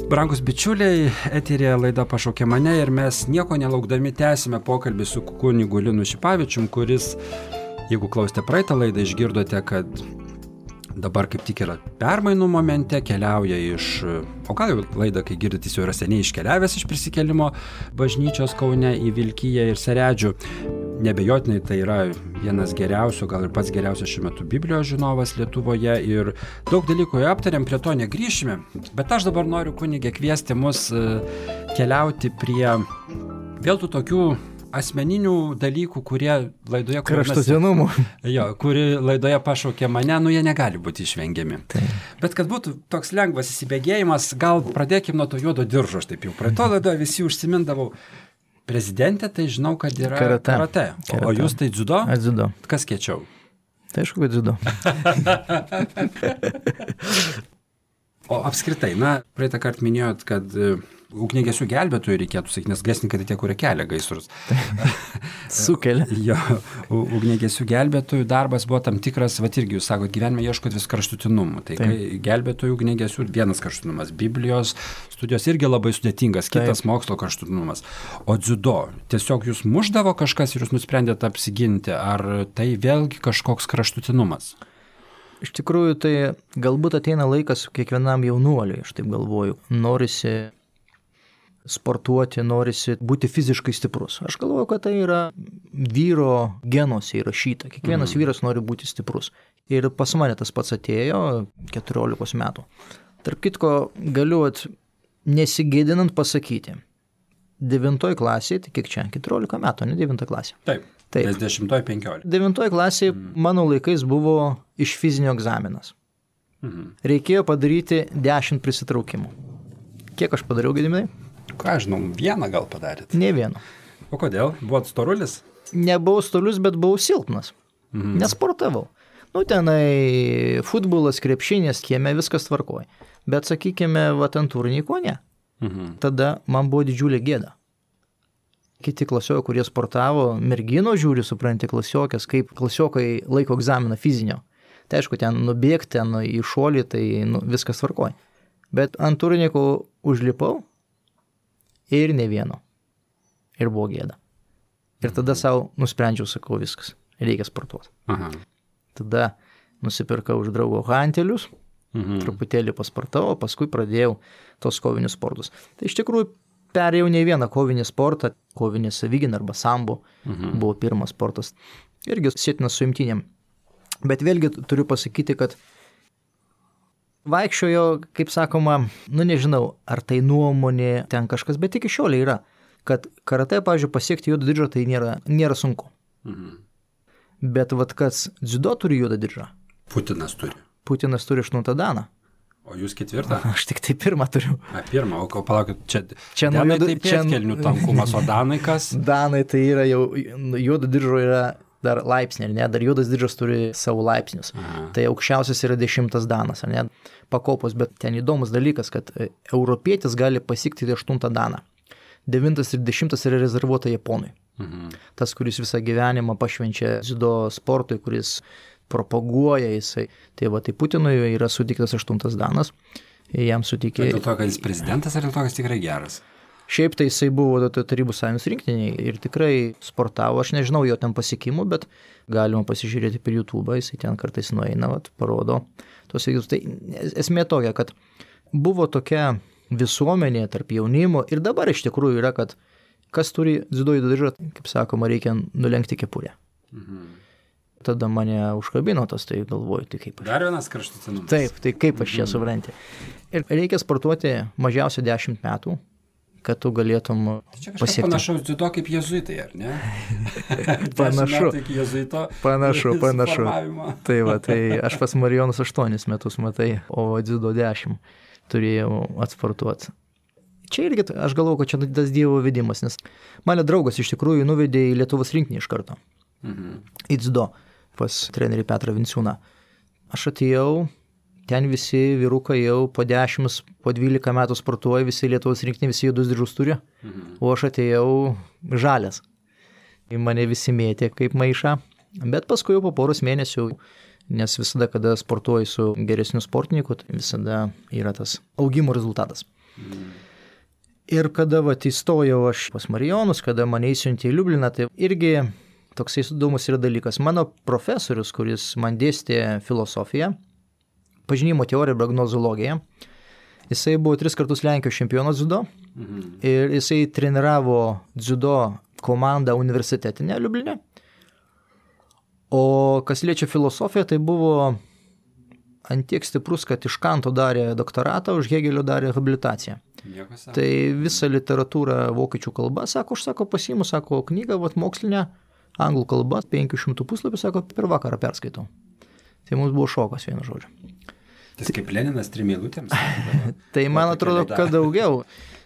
Brangus bičiuliai, eterėje laida Pašaukė mane ir mes nieko nelaukdami tęsime pokalbį su kunigu Linu Šipavičium, kuris, jeigu klausėte praeitą laidą, išgirdote, kad dabar kaip tik yra permainų momente, keliauja o gal jau laidą, kai girdite, jis jau yra seniai iškeliavęs iš prisikėlimo bažnyčios Kaune į Vilkiją ir Seredžių. Nebejotinai tai yra vienas geriausių, gal ir pats geriausias šiuo metu Biblijos žinovas Lietuvoje ir daug dalykų jau aptarėm, prie to negrįšime, bet aš dabar noriu, kunige, kviesti mus keliauti prie vėl tų tokių asmeninių dalykų, kurie laidoje... Kraštutinumų. Kuri laidoje Pašaukė mane, jie negali būti išvengiami. Tai. Bet kad būtų toks lengvas įsibėgėjimas, gal pradėkim nuo to juodo diržo, aš taip jau praeito laidoje visi užsimindavau. Prezidentė, tai žinau, kad yra karate. O jūs tai dziudo? Dziudo. Kas kiečiau? Tai aišku, kad dziudo. O apskritai, praeitą kartą minėjot, kad ugniagesių gelbėtojų reikėtų sakyti, nes gaisrininkai tai tie, kurie kelia gaisrus. Sukelia. Jo, ugniagesių gelbėtojų darbas buvo tam tikras, irgi jūs sakot, gyvenime ieškot vis kraštutinumų. Tai kai gelbėtojų ugniagesių vienas kraštutinumas, Biblijos studijos irgi labai sudėtingas, kitas mokslo kraštutinumas. O dziudo, tiesiog jūs mušdavo kažkas ir jūs nusprendėte apsiginti, ar tai vėlgi kažkoks kraštutinumas? Iš tikrųjų, tai galbūt ateina laikas kiekvienam jaunuoliui, aš taip galvoju, norisi sportuoti, norisi būti fiziškai stiprus. Aš galvoju, kad tai yra vyro genuose įrašyta. Kiekvienas vyras nori būti stiprus. Ir pas mane tas pats atėjo 14 metų. Tarp kitko, galiu nesigėdinant pasakyti, 9 klasėje, tai kiek čia, 14 metų, ne 9 klasė. Taip. Nes 10-15. 9 klasėje mano laikais buvo iš fizinio egzaminas. Reikėjo padaryti 10 prisitraukimų. Kiek aš padariau, Gediminai? Ką žinau, vieną gal padarėt? Ne vieną. O kodėl? Buvot storulis? Nebuvau storulis, bet buvau silpnas. Nesportavau. Tenai futbolas, krepšinės, kieme viskas tvarkoja. Bet sakykime, ant turniko ne. Tada man buvo didžiulė gėda. Kiti klasiokai, kurie sportavo, mergino žiūri, supranti, klasiokės, kaip klasiokai laiko egzaminą fizinio. Tai aišku, ten nubėgti, ten į šuolį, tai viskas tvarkoja. Bet ant turniko užlipau ir ne vieno. Ir buvo gėda. Ir tada savo nusprendžiau, sakau, viskas, reikia sportuoti. Tada nusipirkau už draugo hantelius, truputėlį pasportavau, paskui pradėjau tos kovinius sportus. Tai iš tikrųjų perėjau ne vieną kovinį sportą, kovinį savigyną arba sambo, buvo pirmas sportas. Irgi sėtinas su imtynėm. Bet vėlgi turiu pasakyti, kad vaikščiojo, kaip sakoma, nežinau, ar tai nuomonė ten kažkas, bet iki šiol yra, kad karate, pavyzdžiui, pasiekti juodą diržą tai nėra sunku. Bet kas dziudo turi juodą diržą? Putinas turi. Putinas turi 8 daną. O jūs 4? Aš tik tai 1 turiu. 1, o palaukit, čia danai tai pėdkelnių tankumas, o danai kas? Danai tai yra jau, juodo diržo yra dar laipsnė, ne? Dar juodas diržas turi savo laipsnius. Tai aukščiausias yra 10 danas, ne? Pakopos, bet ten įdomus dalykas, kad europietis gali pasiekti 8 daną. 9 ir 10 yra rezervuota Japonui. Tas, kuris visą gyvenimą pašvenčia dziudo sportui, kuris propaguoja jisai. Tai Putinui yra suteiktas 8 danas. Jam suteikė... Dėl to, kad jis prezidentas, ar dėl to, kad jis tikrai geras? Šiaip tai jisai buvo Tarybų sąjungos rinktiniai ir tikrai sportavo. Aš nežinau jo ten pasiekimų, bet galima pasižiūrėti per YouTube, jisai ten kartais nueina, parodo tos veiksmus. Tai esmė tokia, kad buvo tokia visuomenė tarp jaunimo ir dabar iš tikrųjų yra, kad kas turi dziudo diržą, kaip sakoma, reikia nulenkti kepurę. Tada mane užkabino tas, tai galvoju, tai kaip aš. Dar vienas kraštutinumas. Taip, tai kaip aš čia supranti. Ir reikia sportuoti mažiausiai 10 metų, kad tu galėtum pasiekti. Čia kažkas panašaus dziudo kaip jezuitai, ar ne? Panašu. Panašu. Tai tai aš pas Marijonus 8 metus matai, o dziudo 10 turėjau atsportuoti. Čia irgi, aš galvoju, kad čia tas Dievo vedimas, nes mane draugas iš tikrųjų nuvedė į Lietuvos rinkinį iš karto. Į dziudo pas trenerį Petrą Vinciūną. Aš atėjau, ten visi vyrukai jau po 10, po 12 metų sportuoja, visi Lietuvos rinkiniai, visi juodus diržus turi, o aš atėjau žalias. Į mane visi mėtė kaip maišą, bet paskui jau po poros mėnesių, nes visada, kada sportuoji su geresniu sportininku, tai visada yra tas augimo rezultatas. Ir kada įstojau aš pas Marijonus, kada mane įsiuntė į Liubliną, tai irgi toksai įdomus yra dalykas. Mano profesorius, kuris man dėstė filosofiją, pažinimo teoriją ir prognozologiją, jisai buvo 3 kartus Lenkijos čempionas dziudo ir jisai treniravo dziudo komandą universitetinę Liublinę. O kas liečia filosofiją, tai buvo antiek stiprus, kad iš Kanto darė doktoratą, už Hegelio darė habilitaciją. Tai visą literatūrą vokiečių kalba, aš pasiimu, knygą mokslinę, anglų kalba, 500 puslapių, per vakarą perskaitau. Tai mums buvo šokas, vienu žodžiu. Tai kaip Leninas 3 eilutėms? Tai man atrodo, kad daugiau,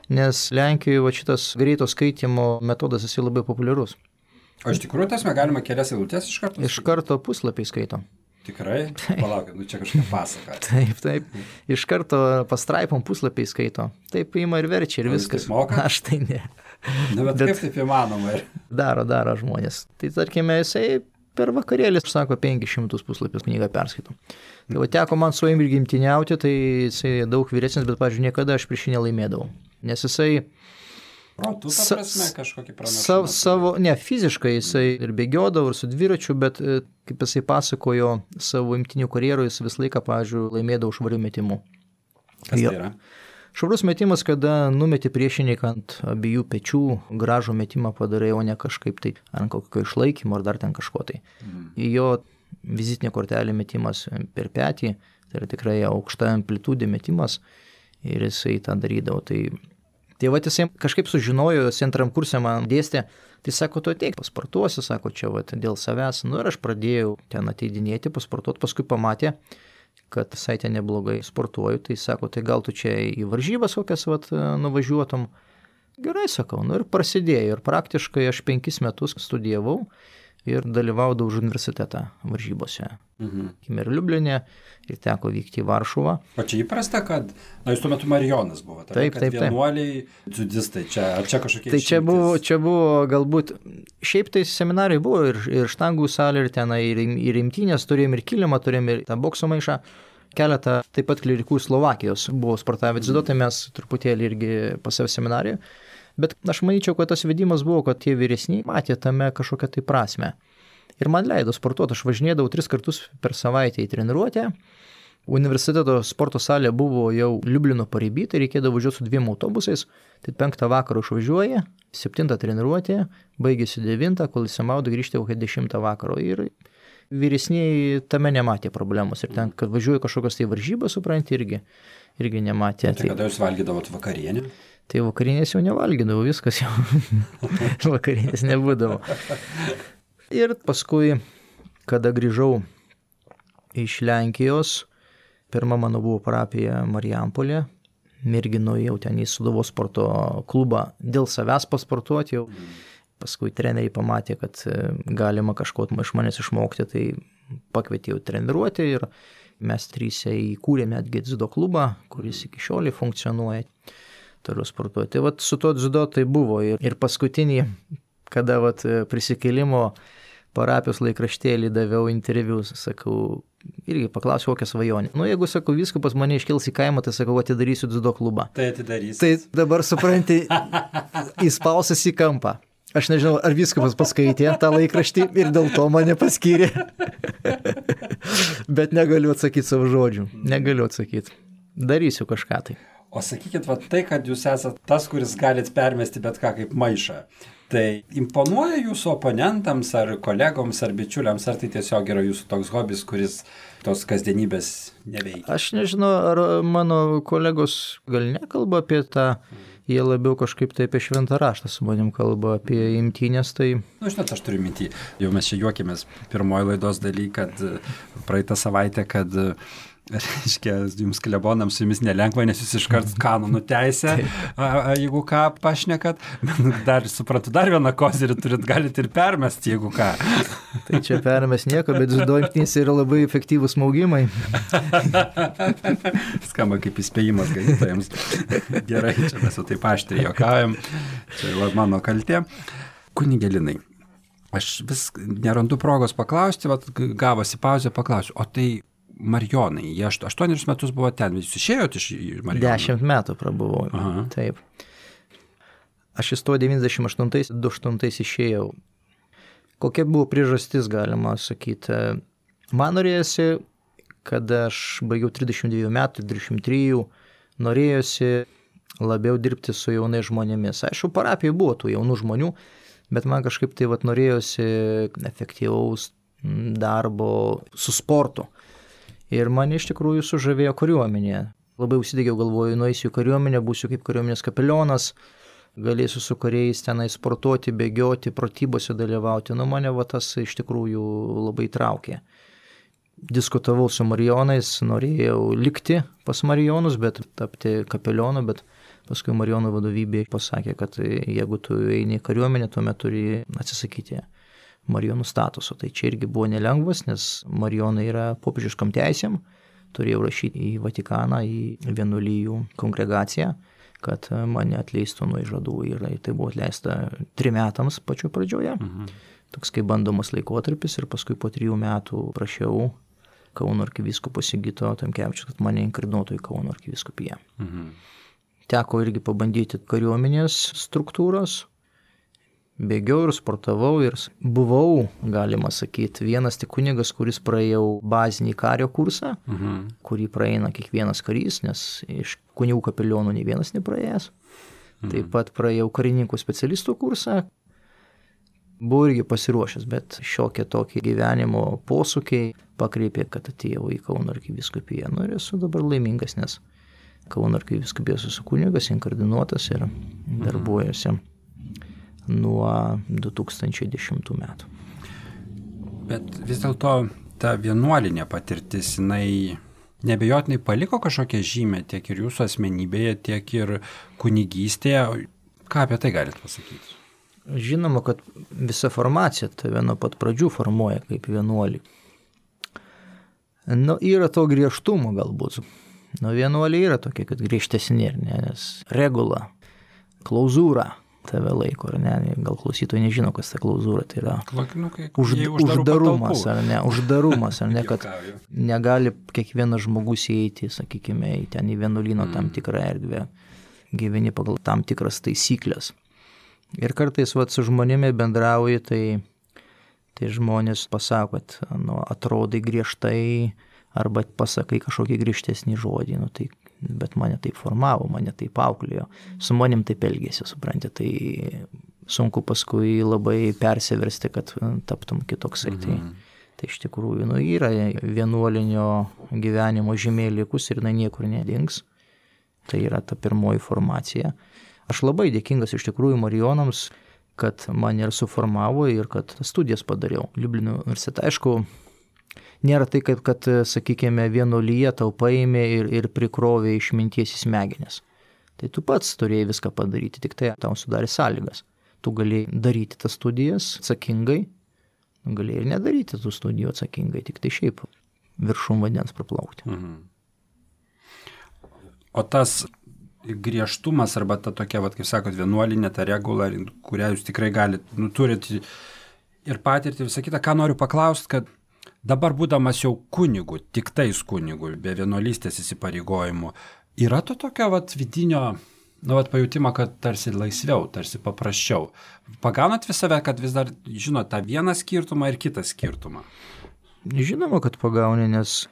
nes Lenkijoje šitas greito skaitimo metodas esi labai populiarus. O iš tikrųjų tasme galima kelias eilutės iš karto? Iš karto puslapiai skaito. Tikrai? Palaukit, čia kažką pasaka. Taip. Iš karto pastraipom puslapiai skaito. Taip ima ir verčia ir viskas. Aš tai ne. Bet kaip taip įmanoma? Daro žmonės. Tai tarkime, jisai per vakarėlį, 500 puslapius knygą perskaito. Tai teko man su jam ir gimtiniauti, tai jisai daug vyresnis, bet, pavyzdžiui, niekada aš prieš jį nelaimėdavau. Nes jisai protų, ta prasme, kažkokį pranašumą. Ne, fiziškai jisai ir bėgiodavo, ir su dviračiu, bet kaip jisai pasakojo savo imtynių karjerų, jis visą laiką, pavyzdžiui, laimėdavo švarių metimų. Kas tai yra? Švarus metimas, kada numeti priešininką ant abiejų pečių, gražų metimą padarai, o ne kažkaip tai ant kokio išlaikymo ar dar ten kažko tai. Jo vizitinė kortelė metimas per petį, tai yra tikrai aukšta amplitudė metimas ir jisai tą darydavo. Tai jisai kažkaip sužinojo, jis 2 kurse man dėstė, tai sako, tu ateik, pasportuosi, sako, čia dėl savęs. Ir aš pradėjau ten ateidinėti, pasportuoti, paskui pamatė, kad visai ten neblogai sportuoju, tai sako, tai gal tu čia į varžybas kokias nuvažiuotum. Gerai, sakau, ir prasidėjo, ir praktiškai aš 5 metus studijavau ir dalyvaudavau už universitetą varžybose. Ir Liublinė, ir teko vykti į Varšuvą. O čia įprasta, kad, jūs tuo metu Marijonas buvo, taip, vienuoliai, dziudistai, ar čia kažkokie tai čia buvo galbūt, šiaip tai seminarai buvo ir štangų salė, ir tenai, ir imtynės turėjom, ir kilimą turėjom, ir tą bokso maišą. Keletą taip pat klerikų Slovakijos buvo sportavę dziudo, tai mes truputėlį irgi pas save seminariją. Bet aš manyčiau, kad tas vedimas buvo, kad tie vyresniai matė tame kažkokią tai prasme. Ir man leido sportuoti, aš važinėdavau 3 kartus per savaitę į treniruotę. Universiteto sporto salė buvo jau Liublino pariby, tai reikėdavo važiuoti su 2 autobusais. Tai 5 vakaro išvažiuoja, 7 treniruotė, baigėsi 9, kol įsimaudo grįžti kokią 10 vakaro. Ir vyresniai tame nematė problemos. Ir ten, kad važiuoja kažkokios tai varžybos, supranti, irgi nematė. Tai kada jūs valgydavot vakarienę? Tai vakarienės jau nevalgydavau, viskas jau vakarienės nebūdavo. Ir paskui, kada grįžau iš Lenkijos, pirma mano buvo parapija Marijampolė, mergino jau ten į Sūduvos sporto klubą dėl savęs pasportuoti jau. Paskui treneriai pamatė, kad galima kažko iš manęs išmokti, tai pakvietė jau treniruoti ir mes 3 įkūrėme netgi dziudo klubą, kuris iki šiol funkcionuoja. Turiu sportuoti. Tai su to dziudo tai buvo. Ir paskutinį, kada prisikėlimo parapijos laikraštėlį daviau interviu, sakau, irgi paklausiau, kokią svajonę. Jeigu, sakau, vyskupas mane iškels į kaimą, tai sakau, atidarysiu dziudo klubą. Tai atidarysiu. Tai dabar, supranti, įspausas į kampą. Aš nežinau, ar vyskupas paskaitė tą laikraštį ir dėl to mane paskyrė. Bet negaliu atsakyti savo žodžių. Negaliu atsakyti. Darysiu kažką tai. O sakykit, tai, kad jūs esate tas, kuris galit permesti bet ką kaip maišą, tai imponuoja jūsų oponentams ar kolegoms ar bičiuliams, ar tai tiesiog yra jūsų toks hobis, kuris tos kasdienybės neveikia? Aš nežinau, ar mano kolegos gal nekalba apie tą, jie labiau kažkaip tai apie šventą raštą su manim kalba, apie imtynės, tai... Žinot, aš turiu mintį, jau mes čia juokėmės pirmoji laidos daly, kad praeitą savaitę, kad... Reiškia, jums klebonams su jumis nelengva, nes jūs iškart kanonų teisę, jeigu ką pašnekat. Dar, suprantu, dar vieną kozirį turit, galite ir permesti, jeigu ką. Tai čia permest nieko, bet dziudo imtynės yra labai efektyvūs smaugimai. Skamba kaip įspėjimas ganytojams. Gerai, čia mes jau taip aštriai juokaujam. Čia jau mano kaltė. Kunige Linai, aš vis nerandu progos paklausti, gavosi pauzę, paklausiu, o tai Marijonai, jie 8 metus buvo ten, jūs išėjote iš Marijonų? 10 metų prabuvau, taip. Aš įstojau 98 išėjau. Kokia buvo priežastis, galima sakyti. Man norėjosi, kad aš baigiau 32 metų, 33, norėjosi labiau dirbti su jaunais žmonėmis. Aišku, parapijoje buvo tų jaunų žmonių, bet man kažkaip tai norėjosi efektyvaus darbo su sportu. Ir mane iš tikrųjų sužavėjo kariuomenė. Labai užsidegėjau, galvoju, nueisiu į kariuomenę, būsiu kaip kariuomenės kapelionas, galėsiu su kariais tenai sportuoti, bėgioti, pratybose dalyvauti. Mane tas iš tikrųjų labai traukė. Diskutavau su Marijonais, norėjau likti pas Marijonus, bet tapti kapelionu, bet paskui Marijonų vadovybė pasakė, kad jeigu tu eini į kariuomenę, tuomet turi atsisakyti Marijonų statuso. Tai čia irgi buvo nelengvas, nes Marijonai yra popiežiškam teisėm, turėjau rašyti į Vatikaną, į vienuolijų kongregaciją, kad mane atleistų nuo įžadų ir tai buvo atleista 3 metams pačio pradžioje. Toks kaip bandomas laikotarpis ir paskui po 3 metų prašiau Kauno arkivyskupo Sigito Tamkevičiaus, kad mane inkardinuotų į Kauno arkivyskupiją. Teko irgi pabandyti kariuomenės struktūros, bėgiau ir sportavau ir buvau, galima sakyti, vienas tik kunigas, kuris praėjau bazinį kario kursą, kurį praeina kiekvienas karys, nes iš kunigų kapelionų nei vienas nepraėjęs. Taip pat praėjau karininkų specialistų kursą. Buvau irgi pasiruošęs, bet šiokie tokie gyvenimo posūkiai pakreipė, kad atėjau į Kauno arkivyskupiją. Ir esu dabar laimingas, nes Kauno arkivyskupijos esu kunigas, inkardinuotas ir darbuojuosi nuo 2010 metų. Bet vis dėlto ta vienuolinė patirtis, jinai nebejotinai paliko kažkokią žymę tiek ir jūsų asmenybėje, tiek ir kunigystėje. Ką apie tai galite pasakyti? Žinoma, kad visa formacija tave nuo pat pradžių formuoja kaip vienuolį. Yra to griežtumo galbūt. Vienuoliai yra tokie, kad griežtesni, nes regula, klauzūra tave laiko, ar ne? Gal klausytojai nežino, kas ta klauzūra, tai yra uždarumas, ar ne? Uždarumas, ar ne, kad negali kiekvienas žmogus įeiti, sakykime, ten į vienuolyno tam tikrą erdvę, gyveni pagal tam tikras taisyklės. Ir kartais su žmonėmi bendrauji, tai žmonės pasako, kad atrodai griežtai, arba pasakai kažkokį griežtesnį žodį, bet mane taip formavo, mane taip auklėjo, su manim taip elgėsi, supranti, tai sunku paskui labai persiversti, kad taptum kitoksai. Tai iš tikrųjų yra vienuolinio gyvenimo žymė likus ir niekur nedings. Tai yra ta pirmoji formacija. Aš labai dėkingas iš tikrųjų Marijonams, kad mane ir suformavo ir kad studijas padariau Liublino universitete. Aišku, nėra tai, kad sakykime, vienuolyje tau paėmė ir prikrovė išminties į smegenis. Tai tu pats turėjai viską padaryti, tik tai tau sudarė sąlygas. Tu galėjai daryti tas studijas atsakingai, galėjai ir nedaryti tų studijų atsakingai, tik tai šiaip viršum vandens praplaukti. O tas griežtumas arba ta tokia, kaip sakot, vienuolinė, ta regula, kurią jūs tikrai galite, turit ir patirti visą kitą. Ką noriu paklausti, kad dabar būdamas jau kunigu, tik tais kunigu, be vienuolystės įsipareigojimų, yra to tokio vidinio pajutimo, kad tarsi laisviau, tarsi paprasčiau. Pagaunat vis save, kad vis dar žinot tą vieną skirtumą ir kitą skirtumą? Žinoma, kad pagauni, nes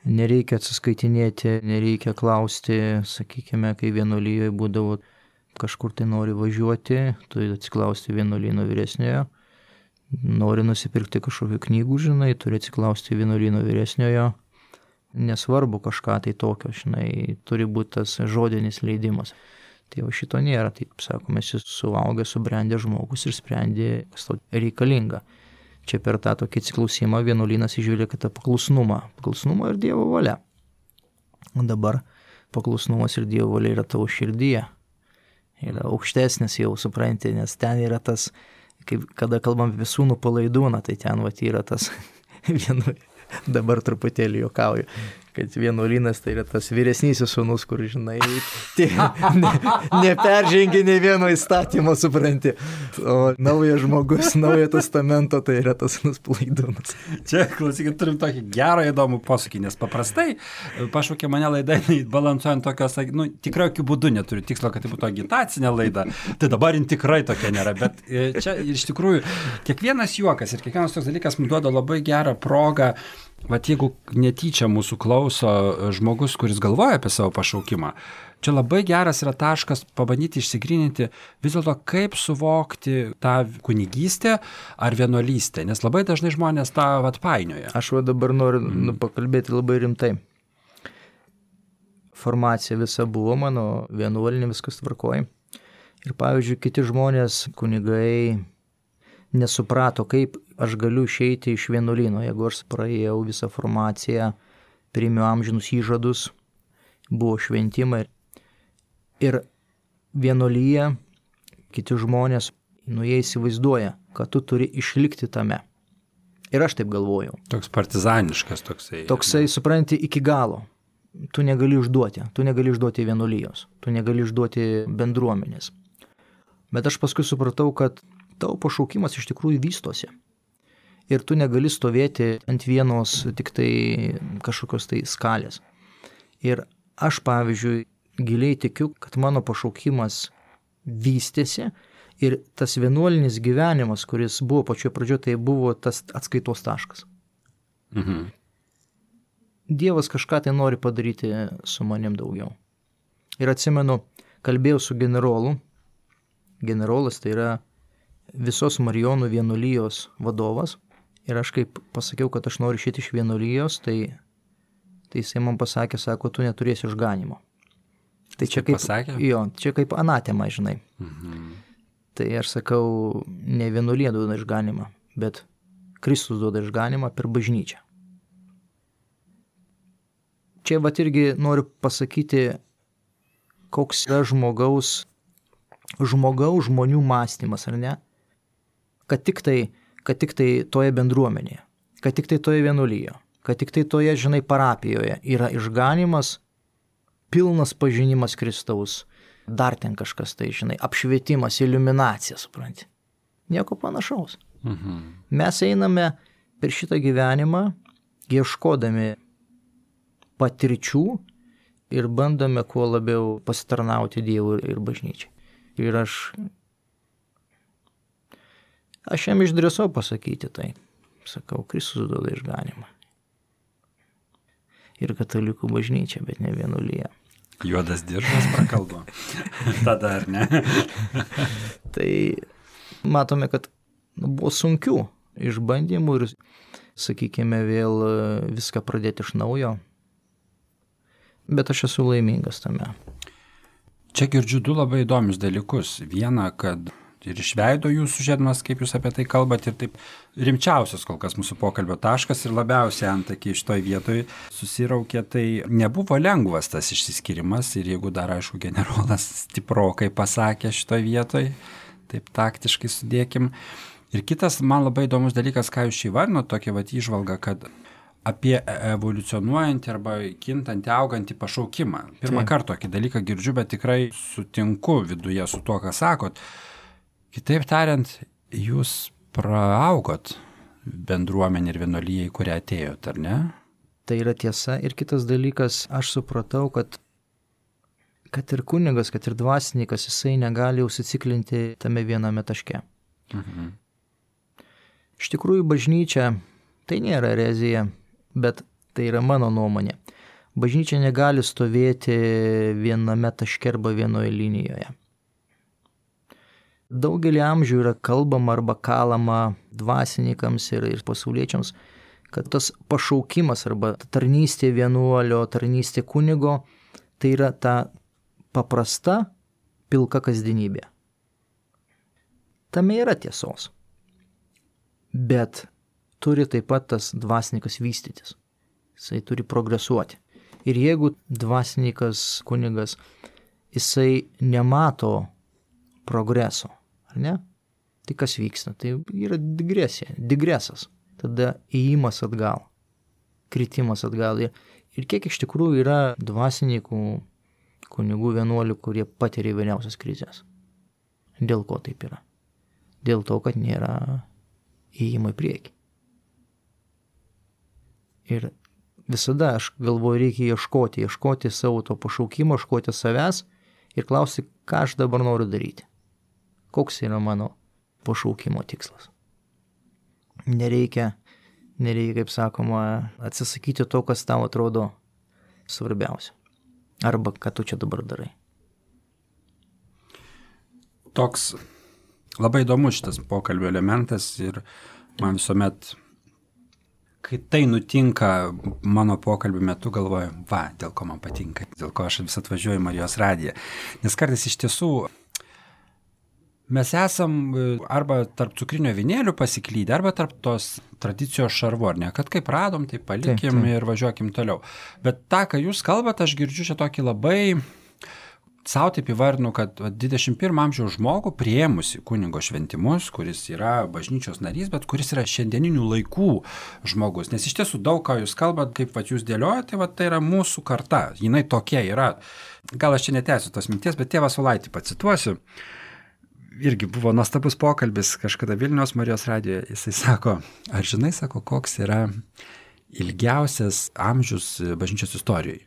nereikia atsiskaitinėti, nereikia klausti, sakykime, kai vienuolyje būdavo kažkur tai nori važiuoti, turi atsiklausti vienuolyno vyresniojo, nori nusipirkti kažkokių knygų, turi atsiklausti vienuolyno vyresniojo, nesvarbu kažką tai tokio, turi būti tas žodinis leidimas. Tai šito nėra, taip sakome, esi suaugęs, subrendęs žmogus ir sprendė, kas tau reikalinga. Čia per tą tokį atsiklausimą vienuolynas išvelgia tą paklusnumą ir Dievo valia. Dabar paklusnumas ir Dievo valia yra tavo širdyje. Yra aukštesnis jau, supranti, nes ten yra tas, kada kalbam apie sūnų palaidūną, tai ten yra tas dabar truputėlį juokauju, kad vienuolynas tai yra tas vyresnysis sūnus, kur, žinai, neperžengia nei vieno įstatymo, supranti. O naujas žmogus, naujo testamento, tai yra tas sūnus Palaidūnas. Čia, klausykit, turim tokį gerą įdomų posūkį, nes paprastai pašaukė mane laida, balansuojant tokios, tikrai jokių būdų neturiu tikslo, kad tai būtų agitacinė laida. Tai dabar jin tikrai tokia nėra, bet čia iš tikrųjų kiekvienas juokas ir kiekvienas toks dalykas mums duoda labai gerą progą. Vat jeigu netyčia mūsų klauso žmogus, kuris galvoja apie savo pašaukimą, čia labai geras yra taškas pabandyti išsigryninti vis dėlto, kaip suvokti tą kunigystę ar vienuolystę, nes labai dažnai žmonės tą painioja. Aš dabar noriu pakalbėti labai rimtai. Formacija visa buvo mano vienuolinė, viskas tvarkoja. Ir pavyzdžiui, kiti žmonės, kunigai, nesuprato, kaip aš galiu išeiti iš vienuolyno, jeigu aš praėjau visą formaciją, priėmiau amžinus įžadus, buvo šventimai. Ir vienuolyje kiti žmonės, jie įsivaizduoja, kad tu turi išlikti tame. Ir aš taip galvojau. Toks partizaniškas toksai. Toksai, supranti, iki galo. Tu negali išduoti vienuolijos, tu negali išduoti bendruomenės. Bet aš paskui supratau, kad tavo pašaukimas iš tikrųjų vystosi. Ir tu negali stovėti ant vienos tik tai kažkokios tai skalės. Ir aš, pavyzdžiui, giliai tikiu, kad mano pašaukimas vystėsi ir tas vienuolinis gyvenimas, kuris buvo pačioje pradžioje, tai buvo tas atskaitos taškas. Mhm. Dievas kažką tai nori padaryti su manim daugiau. Ir atsimenu, kalbėjau su generolu. Generolas tai yra visos Marijonų vienuolijos vadovas. Ir aš kaip pasakiau, kad aš noriu išėti iš vienuolijos, tai jisai man pasakė, sako, tu neturėsi išganimo. Tai čia kaip, pasakė? Jo, čia kaip anatema, žinai. Mhm. Tai aš sakau, ne vienuolija duoda išganimą, bet Kristus duoda išganimą per bažnyčią. Čia irgi noriu pasakyti, koks yra žmonių mąstymas, ar ne? Kad tik tai toje bendruomenėje, kad tik tai toje vienuolyje, kad tik tai toje, žinai, parapijoje yra išganimas, pilnas pažinimas Kristaus, dar ten kažkas tai, žinai, apšvietimas, iliuminacija, supranti. Nieko panašaus. Mhm. Mes einame per šitą gyvenimą, ieškodami patirčių ir bandome kuo labiau pasitarnauti Dievui ir bažnyčiai. Ir aš jam išdrįsau pasakyti tai. Sakau, Kristus duoda išganimą. Ir katalikų bažnyčia, bet ne vienuolija. Juodas diržas prakalbo. Tada ar ne? Tai matome, kad buvo sunkių išbandymų ir, sakykime, vėl viską pradėti iš naujo. Bet aš esu laimingas tame. Čia girdžiu du labai įdomius dalykus. Viena, kad ir iš veido jūsų žiedmas, kaip jūs apie tai kalbat, ir taip rimčiausias kol kas mūsų pokalbio taškas ir labiausiai antakiai šitoj vietoj susiraukė, tai nebuvo lengvas tas išsiskyrimas ir jeigu dar, aišku, generolas stiprokai pasakė šitoj vietoj, taip taktiškai sudėkim. Ir kitas man labai įdomus dalykas, ką jūs šį varnot, tokia įžvalga, kad apie evoliucionuojantį arba kintantį, augantį pašaukimą. Pirmą kartą tokį dalyką girdžiu, bet tikrai sutinku viduje su tuo, ką sakot. Kitaip tariant, jūs praaugot bendruomenį ir vienuolyje, į kurią atėjot, ar ne? Tai yra tiesa. Ir kitas dalykas, aš supratau, kad ir kunigas, kad ir dvasininkas, jisai negali užsiciklinti tame viename taške. Mhm. Iš tikrųjų, bažnyčia tai nėra erezija, bet tai yra mano nuomonė. Bažnyčia negali stovėti viename taške arba vienoje linijoje. Daugelį amžių yra kalbama arba kalama dvasininkams ir pasauliečiams, kad tas pašaukimas arba tarnystė vienuolio, tarnystė kunigo, tai yra ta paprasta, pilka kasdienybė. Tame yra tiesos. Bet turi taip pat tas dvasininkas vystytis. Jisai turi progresuoti. Ir jeigu dvasininkas, kunigas, jisai nemato progreso, ar ne? Tai kas vyksta? Tai yra digresija, digresas. Tada įėjimas atgal, kritimas atgal. Ir kiek iš tikrųjų yra dvasininkų, kunigų, vienuolių, kurie patiria įvairiausias krizės. Dėl ko taip yra? Dėl to, kad nėra įėjimo į priekį. Ir visada aš galvoju, reikia ieškoti savo to pašaukimo, ieškoti savęs ir klausti, ką aš dabar noriu daryti. Koks yra mano pašaukimo tikslas. Nereikia, kaip sakoma, atsisakyti to, kas tau atrodo svarbiausia. Arba ką tu čia dabar darai. Toks labai įdomus šitas pokalbio elementas ir man visuomet, kai tai nutinka mano pokalbio metu, galvoju, dėl ko man patinka, dėl ko aš vis atvažiuoju į Marijos radiją. Nes kartais iš tiesų mes esam arba tarp cukrinio avinėlių pasiklydę, arba tarp tos tradicijos šarvų, ar ne, kad kaip radom, tai palikim ir važiuokim toliau. Bet tą, ką jūs kalbate, aš girdžiu čia tokį labai, savo taip įvardinu, kad 21 amžiaus žmogų priėmusi kunigo šventimus, kuris yra bažnyčios narys, bet kuris yra šiandieninių laikų žmogus. Nes iš tiesų daug, ką jūs kalbat, kaip jūs dėliojate, tai yra mūsų karta, jinai tokia yra. Gal aš čia netęsiu tos minties, bet tėvą Saulaitį pacituosiu. Irgi buvo nuostabus pokalbis kažkada Vilniaus Marijos radijoje. Jisai sako, ar žinai, sako, koks yra ilgiausias amžius bažnyčios istorijoje?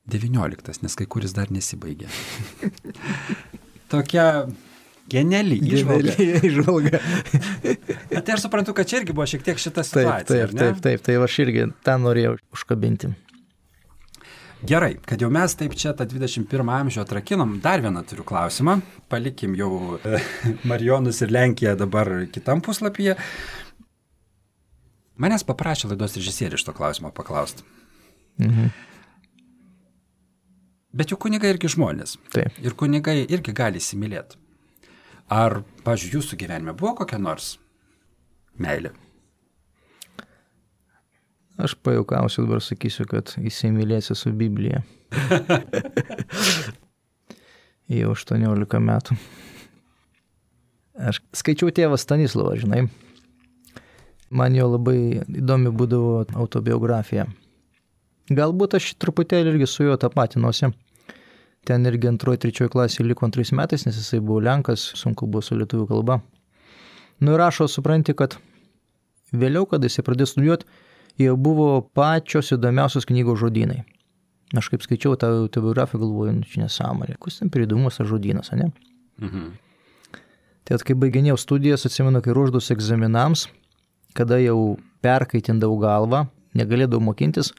19, nes kai kuris dar nesibaigė. Tokia geniali įžvalga. Bet aš suprantu, kad čia irgi buvo šiek tiek šita situacija. Taip, tai aš irgi tą norėjau užkabinti. Gerai, kad jau mes taip čia tą 21 amžių atrakinom, dar vieną turiu klausimą. Palikim jau Marijonus ir Lenkiją dabar kitam puslapyje. Manęs paprašė laidos režisierių šito klausimo paklausti. Bet jau kunigai irgi žmonės. Taip. Ir kunigai irgi gali įsimylėti. Ar, pavyzdžiui, jūsų gyvenime buvo kokia nors meilė? Aš pajuokausiu, dabar sakysiu, kad įsimylėsiu su Biblija. Jau 18 metų. Aš skaičiau tėvą Stanislovą, žinai. Man jo labai įdomi būdavo autobiografija. Galbūt aš truputėlį irgi su juo tapatinuosi. Ten irgi 2-3 klasėje liko 2 metais, nes jisai buvo Lenkas, sunku buvo su lietuvių kalba. Nu ir rašo, supranti, kad vėliau, kada jisai pradėjo studijuoti, jau buvo pačios įdomiausios knygos žodynai. Aš kaip skaičiau tą autobiografiją, galvoju, čia nesąmonė. Kus ten pridomus tas žodynas, ne? Tai kai baiginėjau studijas, atsimenu, kai ruošdavausi egzaminams, kada jau perkaitindavau galvą, negalėdavau mokintis,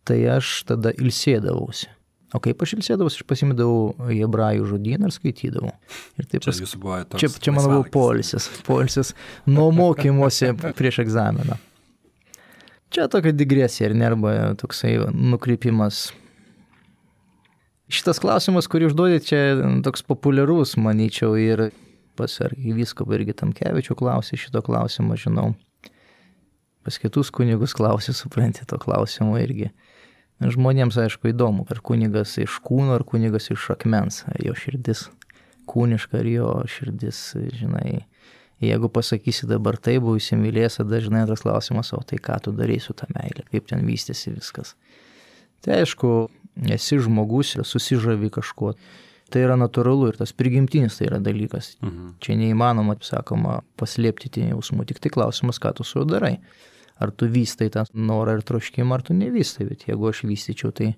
tai aš tada ilsėdavausi. O kaip aš ilsėdavausi, aš pasimdavau hebrajų žodyną ir skaitydavau. Ir taip čia mano buvo poilsis nuo mokymosi prieš egzaminą. Čia tokia digresija ir nerba toksai nukrypimas. Šitas klausimas, kurį užduodė, čia toks populiarus, manyčiau, ir pas arkivyskupą irgi Tamkevičių klausė šito klausimo, žinau. Pas kitus kunigus klausė, supranti, to klausimo irgi. Žmonėms, aišku, įdomu, ar kunigas iš kūno, ar kunigas iš akmens, ar jo širdis kūniška, ar jo širdis, žinai. Jeigu pasakysi dabar tai, buvau įsimylėjęs, dažnai antras klausimas, o tai ką tu darai su ta meilė, kaip ten vystėsi viskas. Tai aišku, esi žmogus ir susižavi kažkuo. Tai yra natūralu ir tas prigimtinis tai yra dalykas. Čia neįmanoma, sakoma, paslėpti tie jausmų, tik tai klausimas, ką tu su juo darai. Ar tu vystai tą norą ir troškimą, ar tu nevystai, bet jeigu aš vystyčiau, tai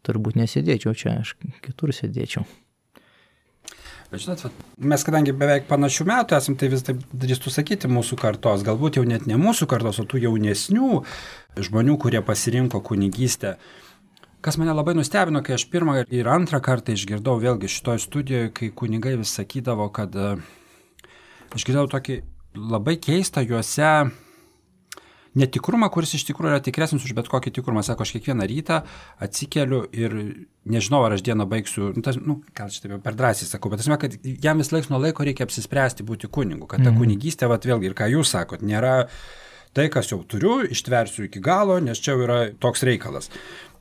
turbūt nesėdėčiau čia, aš kitur sėdėčiau. Bet žinot, mes kadangi beveik panašių metų esam, tai vis taip drįstų sakyti mūsų kartos, galbūt jau net ne mūsų kartos, o tų jaunesnių žmonių, kurie pasirinko kunigystę. Kas mane labai nustebino, kai aš pirmą ir antrą kartą išgirdau vėlgi šitoj studijoje, kai kunigai vis sakydavo, kad aš girdau tokį labai keistą juose netikrumą, kuris iš tikrųjų yra tikresnis už bet kokį tikrumą. Sako, aš kiekvieną rytą atsikeliu ir nežinau, ar aš dieną baigsiu, gal šitą per drąsiai sakau, bet esmė, kad jam vis laiks nuo laiko reikia apsispręsti būti kunigu, kad ta kunigystė, vėlgi, ir ką jūs sakot, nėra tai, kas jau turiu, ištversiu iki galo, nes čia yra toks reikalas.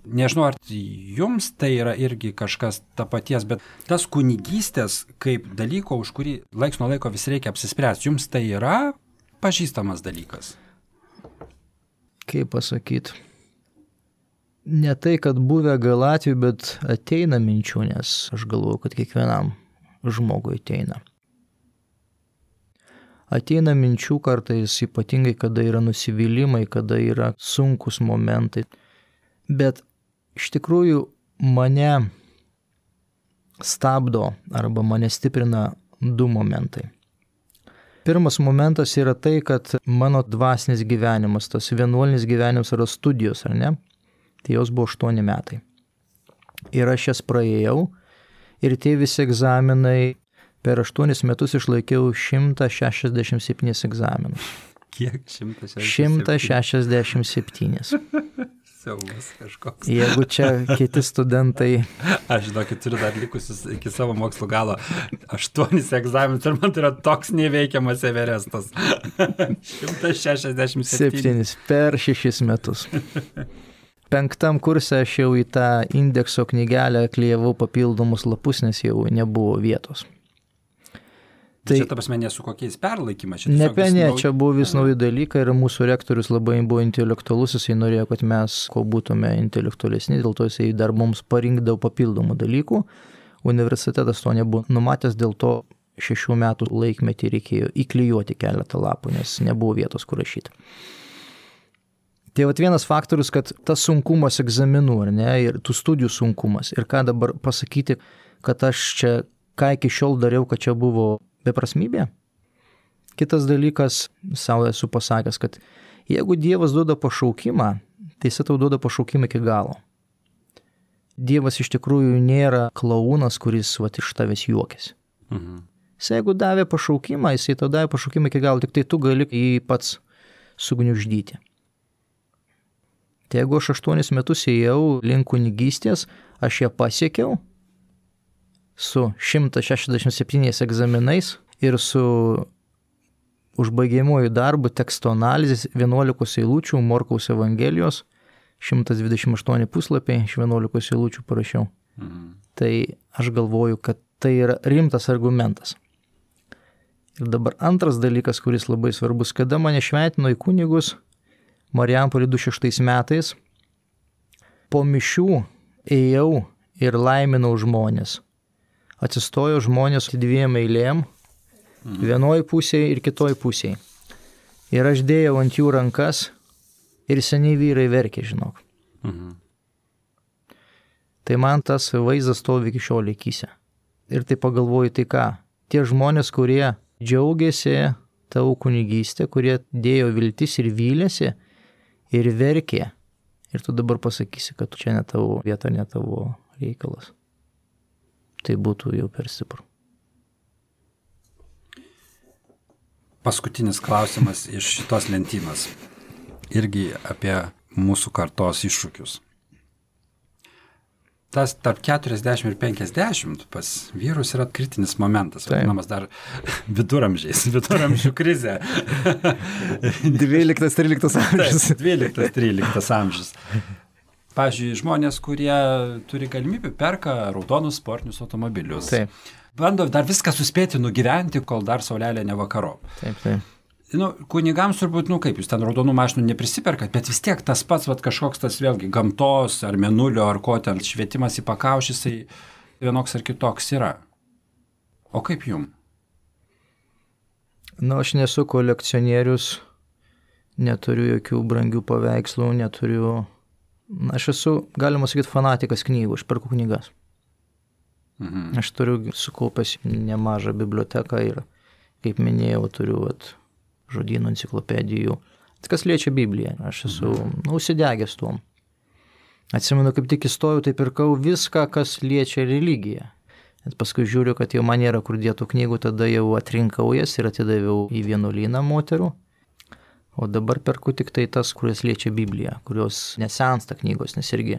Nežinau, ar jums tai yra irgi kažkas ta paties, bet tas kunigystės kaip dalyko, už kurį laiks nuo laiko vis reikia apsispręsti, jums tai yra pažįstamas dalykas? Kaip pasakyti? ne tai, kad buvę gal atveju, bet ateina minčių, nes aš galvoju, kad kiekvienam žmogui ateina. Ateina minčių kartais, ypatingai, kada yra nusivylimai, kada yra sunkus momentai. Bet iš tikrųjų mane stabdo arba mane stiprina du momentai. Pirmas momentas yra tai, kad mano dvasinis gyvenimas, tas vienuolinis gyvenimas yra studijos, ar ne? Tai jos buvo 8 metai. Ir aš jas praėjau ir tie visi egzaminai per 8 metus išlaikiau 167 egzaminus. Kiek? 167? 167. Siaubas kažkoks. Jeigu čia kiti studentai... Aš žinokit, turiu dar likusius iki savo mokslo galo 8 egzaminus ir man tai yra toks neveikiamas Everestas. 167. Per 6 metus. 5 kurse aš jau į tą indekso knygelę klijavau papildomus lapus, nes jau nebuvo vietos. Tai čia, ta prasme, nesu kokiais perlaikymas. Čia buvo vis nauji dalykai ir mūsų rektorius labai buvo intelektualus, jisai norėjo, kad mes kuo būtume intelektualesni, dėl to jisai dar mums parinkdavo papildomų dalykų. Universitetas to nebuvo numatęs, dėl to 6 metų laikmetį reikėjo įklijuoti keletą lapų, nes nebuvo vietos, kur rašyti. Tai vienas faktorius, kad tas sunkumas egzaminų, ar ne, ir tų studijų sunkumas, ir ką dabar pasakyti, kad aš čia, ką iki šiol dariau, kad čia buvo beprasmybė. Kitas dalykas, savo esu pasakęs, kad jeigu Dievas duoda pašaukimą, tai jis tau duoda pašaukimą iki galo. Dievas iš tikrųjų nėra klaunas, kuris iš tavęs juokėsi. Jis jeigu davė pašaukimą, jis tau davė pašaukimą iki galo, tik tai tu gali jį pats sugniuždyti. Tai jeigu aš 8 metus ėjau link kunigystės, aš ją pasiekiau, su 167 egzaminais ir su užbaigiamuoju darbu teksto analizės 11 eilučių Morkaus Evangelijos, 128 puslapiai, iš 11 eilučių parašiau. Tai aš galvoju, kad tai yra rimtas argumentas. Ir dabar antras dalykas, kuris labai svarbus, kada mane šventino į kunigus Marijampolėje 2006 metais, po mišių ėjau ir laiminau žmonės. Atsistojo žmonės 2 eilėm, vienoj pusėje ir kitoj pusėje. Ir aš dėjau ant jų rankas ir seniai vyrai verkė, žinok. Tai man tas vaizdas stovi iki šiol akyse. Ir tai pagalvoju, tai ką, tie žmonės, kurie džiaugiasi tavo kunigystę, kurie dėjo viltis ir vylėsi ir verkė, ir tu dabar pasakysi, kad čia ne tavo vieta, ne tavo reikalas. Tai būtų jau per stipru. Paskutinis klausimas iš šitos lentynos. Irgi apie mūsų kartos iššūkius. Tas tarp 40 ir 50 pas vyrus yra kritinis momentas, vadinamas dar viduramžių krizė. 12-13 amžius. 12-13 amžius. Pavyzdžiui, žmonės, kurie turi galimybę, perka raudonus sportinius automobilius. Taip. Bando dar viską suspėti nugyventi, kol dar saulelė nevakarop. Taip. Kunigams turbūt, kaip jūs ten raudonų mašinų neprisiperkat, bet vis tiek tas pats kažkoks tas vėlgi gamtos ar mėnulio ar ko ten švietimas į pakaušį, jisai vienoks ar kitoks yra. O kaip jum? Aš nesu kolekcionierius, neturiu jokių brangių paveikslų, aš esu, galima sakyti, fanatikas knygų, aš perku knygas. Aš turiu sukaupęs nemažą biblioteką ir, kaip minėjau, turiu žodynų, enciklopedijų. Kas liečia Bibliją, aš esu užsidegęs tuom. Atsimenu, kaip tik įstojau, tai pirkau viską, kas liečia religiją. Bet paskui žiūriu, kad jau man nėra kur dėtų knygų, tada jau atrinkau jas ir atidaviau į vienuolyną moterų. O dabar perku tik tai tas, kurias liečia Bibliją, kurios nesensta knygos, nes irgi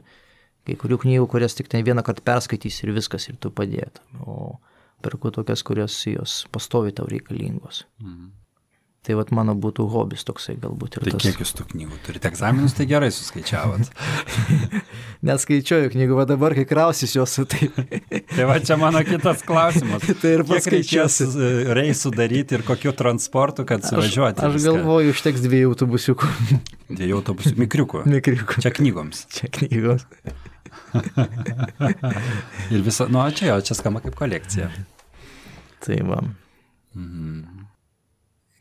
kai kurių knygų, kurias tik tai vieną kartą perskaitys ir viskas, ir tu padėtum. O perku tokias, kurios jos pastovi tau reikalingos. Tai vat mano būtų hobis toksai galbūt ir tai tas. Kiek jūs tų knygų turite egzaminus, tai gerai suskaičiavot. Neskaičiuoju knygų, va dabar, kai krausis jos, tai... Tai va čia mano kitas klausimas. Tai ir paskaičiuosiu. Kiek reikės reisų daryti ir kokiu transportu, kad suvažiuoti? Aš galvoju, užteks 2 autobusiukų. 2 autobusiukų, mikriukų. Mikriukų. Čia knygoms. Čia knygoms. Ir viso, nu, čia skamba kaip kolekcija. Tai va.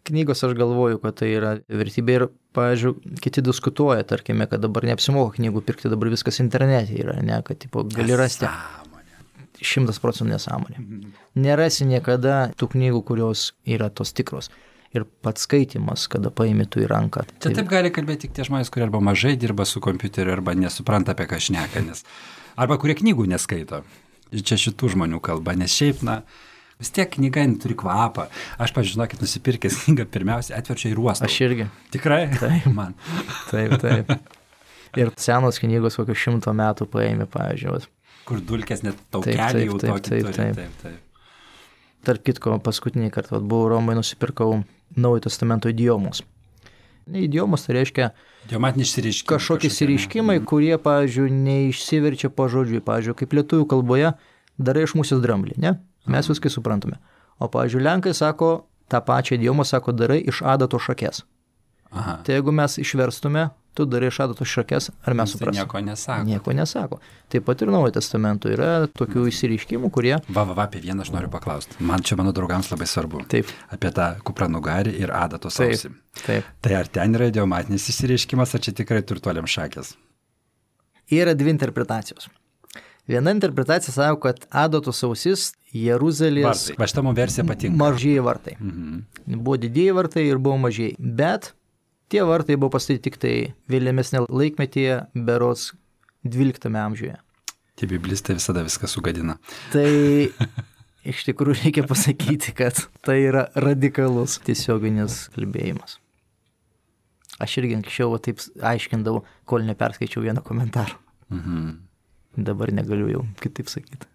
Knygos aš galvoju, kad tai yra vertybė ir, pavyzdžiui, kiti diskutuoja, tarkime, kad dabar neapsimoka knygų pirkti, dabar viskas internete yra, ne, kad tipo, gali rasti. 100% nesąmonė. Nerasi niekada tų knygų, kurios yra tos tikros. Ir pats skaitimas, kada paimi tu į ranką. Čia taip gali kalbėti tik tie žmonės, kurie arba mažai dirba su kompiuteriu, arba nesupranta, apie ką šneka, arba kurie knygų neskaito. Čia šitų žmonių kalba, nes šiaip, vis tiek knyga turi kvapą. Aš, pažinokit, nusipirkęs knygą, pirmiausia, atverčiau į ruostą. Aš irgi. Tikrai? Taip. Man. Taip. Ir senos knygos kokius 100 metų paėmė, pavyzdžiui. Kur dulkės net taukelį jau tokį turi. Taip. Tarp kitko, paskutinį kartą buvau Romoje, nusipirkau Naujojo testamento idiomos. Idiomos tai reiškia kažkokie išsireiškimai, kurie, pavyzdžiui, neišsiverčia pažodžiui. Pavyzdžiui, kaip lietuvių kalboje darai iš musės dramblį, ne? Mes viskai suprantame. O, pavyzdžiui, lenkai sako, tą pačią idiomą sako, darai iš adato šakės. Aha. Tai jeigu mes išverstume, tu darai iš adato šakės, ar mes suprasime? Nieko nesako. Nieko nesako. Taip pat ir Naujojo testamento yra tokių išsireiškimų, kurie... Apie vieną aš noriu paklausti. Man čia mano draugams labai svarbu. Taip. Apie tą kupranugarį ir adatos ausį. Taip. Tai ar ten yra idiomatinis išsireiškimas, ar čia tikrai turtuoliam šakės? Yra 2 interpretacijos. Viena interpretacija sako, kad adatos ausis Jeruzalės... Va šitą man versija patinka. Mažieji vartai. Buvo didieji vartai ir buvo mažieji. Bet tie vartai buvo pastatyti tik tai vėlesnė laikmetyje, berods 12 amžiuje. Tie biblistai visada viską sugadina. Tai iš tikrųjų reikia pasakyti, kad tai yra radikalus tiesioginis kalbėjimas. Aš irgi anksčiau taip aiškindavau, kol neperskaičiau vieną komentarą. Dabar negaliu jau kitaip sakyti.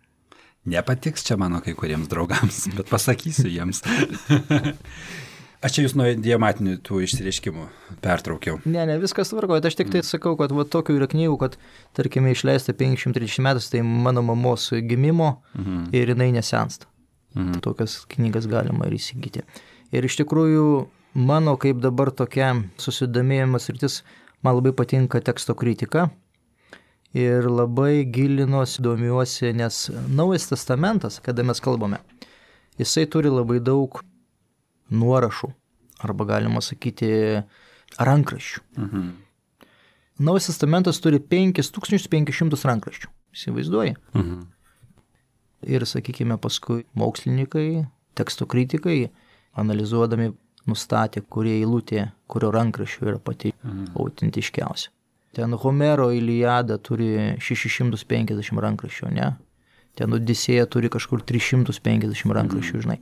Nepatiks čia mano kai kuriems draugams, bet pasakysiu jiems. Aš čia jūs nuo idiomatinių tų išsireiškimų pertraukiau. Ne, viskas tvarkoja. Aš tik tai sakau, kad va, tokių yra knygų, kad, tarkime, išleista 530 metus, tai mano mamos gimimo ir jinai nesensta. Tokias knygas galima ir įsigyti. Ir iš tikrųjų, mano kaip dabar tokia susidomėjimas rytis, man labai patinka teksto kritika. Ir labai gilinuosi, domiuosi, nes Naujas testamentas, kada mes kalbame, jisai turi labai daug nuorašų, arba galima sakyti rankraščių. Naujas testamentas turi 5500 rankraščių. Įsivaizduoji? Ir, sakykime, paskui mokslininkai, teksto kritikai, analizuodami, nustatė, kurie eilutė, kurio rankraščių yra pati autentiškiausia. Ten Homero Iliada turi 650 rankraščių, ne? Ten Odisėja turi kažkur 350 rankraščių, žinai.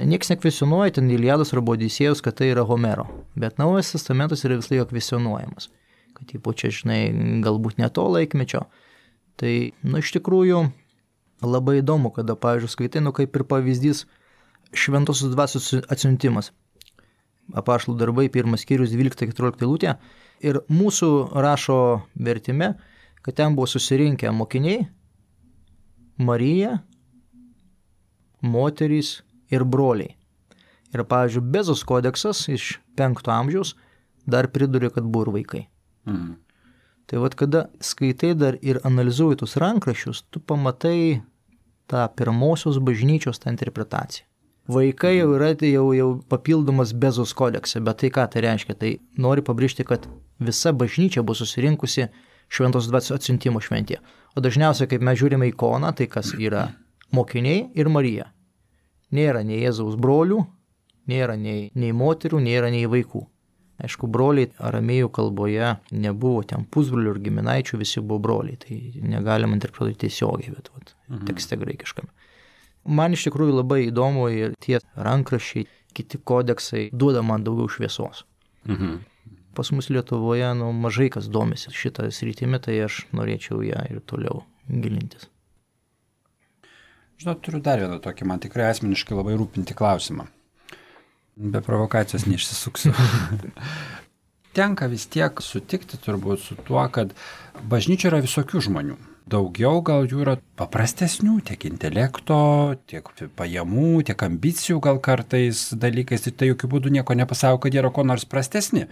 Niekas nekvesionuoja ten Iliados arba Odisėjos, kad tai yra Homero. Bet Naujas testamentas yra vis laik kvesionuojamas. Kad ypač čia, žinai, galbūt ne to laikmečio. Tai, iš tikrųjų, labai įdomu, kada, pavyzdžiui, skaitai, kaip ir pavyzdys Šventosios dvasios atsiuntimas. Apaštalų darbai, 1 skyrius, 12-14 eilutė. Ir mūsų rašo vertime, kad ten buvo susirinkę mokiniai, Marija, moterys ir broliai. Ir, pavyzdžiui, Bezos kodeksas iš 5 amžiaus dar pridurė, kad buvo ir vaikai. Tai vat, kada skaitai dar ir analizuoji tus rankraščius, tu pamatai tą pirmosios bažnyčios tą interpretaciją. Vaikai jau yra jau papildomas Bezos kodekse, bet tai ką tai reiškia? Tai nori pabrėžti, kad visa bažnyčia buvo susirinkusi Šventos dvasios atsiuntimo šventėje. O dažniausiai, kaip mes žiūrime ikoną, tai kas yra mokiniai ir Marija. Nėra nei Jėzaus brolių, nėra nei moterų, nėra nei vaikų. Aišku, broliai aramėjų kalboje nebuvo ten pusbrolių ir giminaičių, visi buvo broliai. Tai negalima interpretuoti tiesiogiai, bet tekste graikiškame. Man iš tikrųjų labai įdomu ir tie rankraščiai, kiti kodeksai duoda man daugiau šviesos. Pas mus Lietuvoje mažai kas domisi šitą sritimi, tai aš norėčiau ją ir toliau gilintis. Žinot, turiu dar vieną tokį, man tikrai asmeniškai labai rūpinti klausimą. Be provokacijos neišsisuksiu. Tenka vis tiek sutikti turbūt su tuo, kad bažnyčia yra visokių žmonių. Daugiau gal jų yra paprastesnių, tiek intelekto, tiek pajamų, tiek ambicijų gal kartais dalykais. Tai jokių būdų nieko nepasako, kad yra ko nors prastesni.